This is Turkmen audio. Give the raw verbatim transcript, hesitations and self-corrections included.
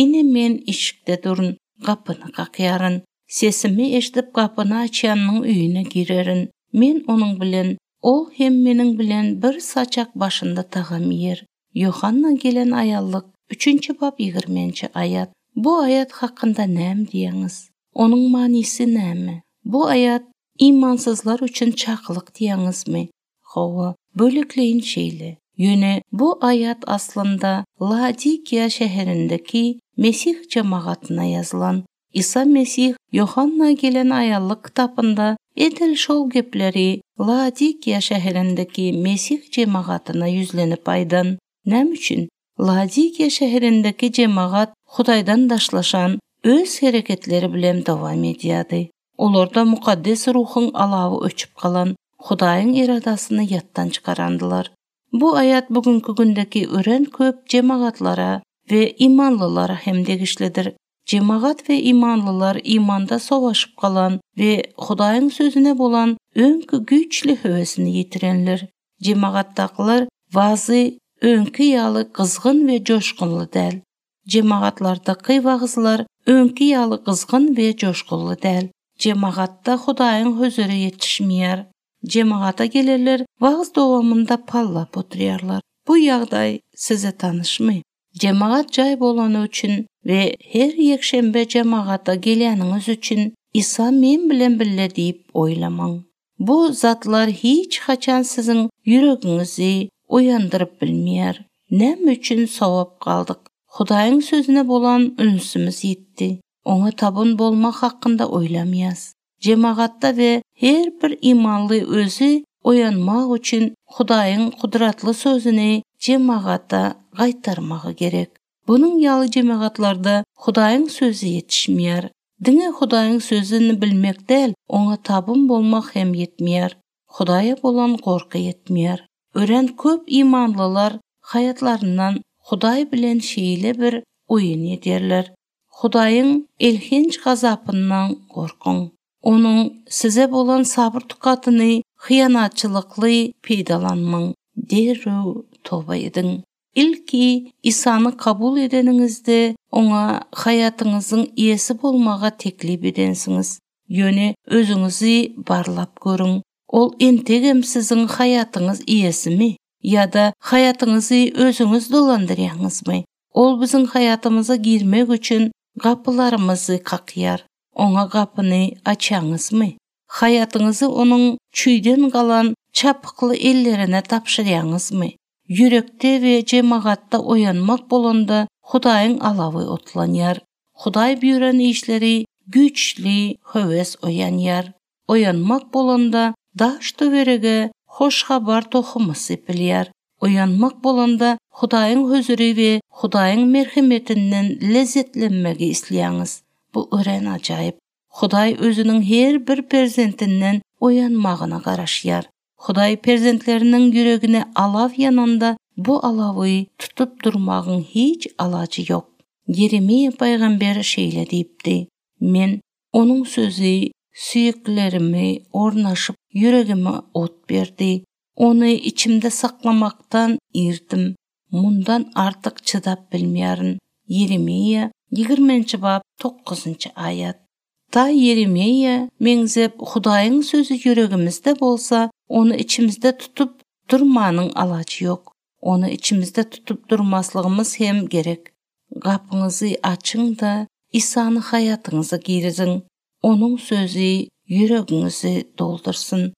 Ine men işikde durun, gapyny kakýaryn. Sesimi eşidip gapyny açýanyň öýüne girerin. Men onuň bilen, ol hem meniň bilen bir saçak başynda tagam iýer. Ýohanna gelen aýallyk, üçünji bap ýigriminji aýat. Bu aýat hakynda näme diýýäňiz? Onuň manysy näme? Bu aýat imansyzlar üçin çakylyk diýýäňizmi? Hawa, bölekleýin şeýle. Ýöne bu aýat aslynda Laodikiýa şäherindäki Mesih jemagatyna ýazylan. Isa Mesih Ýohanna gelen aýallyk kitabynda edil şol gepleri Laodikiýa şäherindäki Mesih jemagatyna ýüzlenip aýdan. Näme üçin? Laodikiýa şäherindäki jemagat Hudaýdan daşlaşan öz hereketleri bilen dowam edýärdi. Olarda mukaddes ruhuň alawy öçüp galan, Hudaýyň iradasyny ýatdan çykarandylar. Bu aýat bugünkü gündäki örän köp jemagatlara we imanlylara hem degişlidir. Jemagat we imanlylar imanda sowaşyp galan we Hudaýyň sözüne bolan öňkü güýçli höwesini ýitirenler. Jemagatdakylar wazy öňki ýaly gyzgyn we joşgunly däl. Jemagatlardaky wagyzlar öňki ýaly gyzgyn we joşgunly däl. Jemagatda Hudaýyň huzury ýetişmeýär. Jemagata gelenler wagyz dowamynda pallap oturýarlar. Bu ýagdaý size tanyşmy? Jemagat jaý bolany üçin we her ýekşenbe jemagata gelýäniňiz üçin Isa men bilen bile diýip oýlamaň. Bu zatlar hiç haçan siziň ýüregiňizi oýandyryp bilmeýär. Näme üçin sowap galdyk? Hudaýyň sözüne bolan ünsümiz ýitdi. Oňa tabyn bolmak hakynda oýlamaýas. Jemagatda we her bir imanly özi oýanmak üçin Hudaýyň gudratly sözüni jemagata gaýtarmagy gerek. Bunuň ýaly jemagatlarda Hudaýyň sözi ýetişmeýär. Diňe Hudaýyň sözüni bilmek däl, oňa tabyn bolmak hem ýetmeýär. Hudaýa bolan gorky ýetmeýär. Örän köp imanlylar haýatlaryndan Hudaý bilen şeýle bir oýun ederler. Hudaýyň elhenç gazapyndan gorkuň. Onuň size bolan sabyr tukatyny hyýanatçylykly peýdalanmaň. Derrew toba ediň. Ilki Isany kabul edeniňizde oňa haýatyňyzyň eýesi bolmaga teklip edensiňiz. Ýöne özüňizi barlap görüň. Ol entegem siziň haýatyňyz eýesimi ýa-da haýatyňyzy özüňiz dolandyrýaňyzmy? Ol biziň haýatymyza girmek üçin gapylarymyzy kakýar. Oňa gapyny açýaňyzmy? Haýatyňyzy onuň çüýden galan çapykly ellerine tabşyrýaňyzmy? Ýürekde we jemagatda oýanmak bolanda Hudaýyň alawy otlanýar. Hudaý buýran işleri güýçli höwes oýanýar. Oýanmak bolanda daş töwerege hoş habar tohumy sepilýär. Oýanmak bolanda Hudaýyň huzury we Hudaýyň merhemetinden lezzetlenmegi isleýäňiz. Bu örän ajaýyp. Hudaý özüniň her bir perzentinden oýanmagyna garaşýar. Hudaý perzentleriniň ýüregine alaw ýananda bu alawy tutup durmagyň hiç alajy ýok. Ýeremiýa paýgamber şeýle diýipdi: Men onuň sözi süýeklerimi ornaşyp ýüregime ot berdi. Ony içimde saklamakdan irdim. Mundan artyk çydap bilmeýärin. Ýeremiýa ýigriminji bap dokuzynjy aýat. Ta Ýeremiýa meňzep Hudaýyň sözi ýüregimizde bolsa, ony içimizde tutup durmanyň alajy ýok. Ony içimizde tutup durmaslygymyz hem gerek. Gapyňyzy açyň-da Isany haýatyňyza giriziň. Onuň sözi ýüregiňizi doldursyn.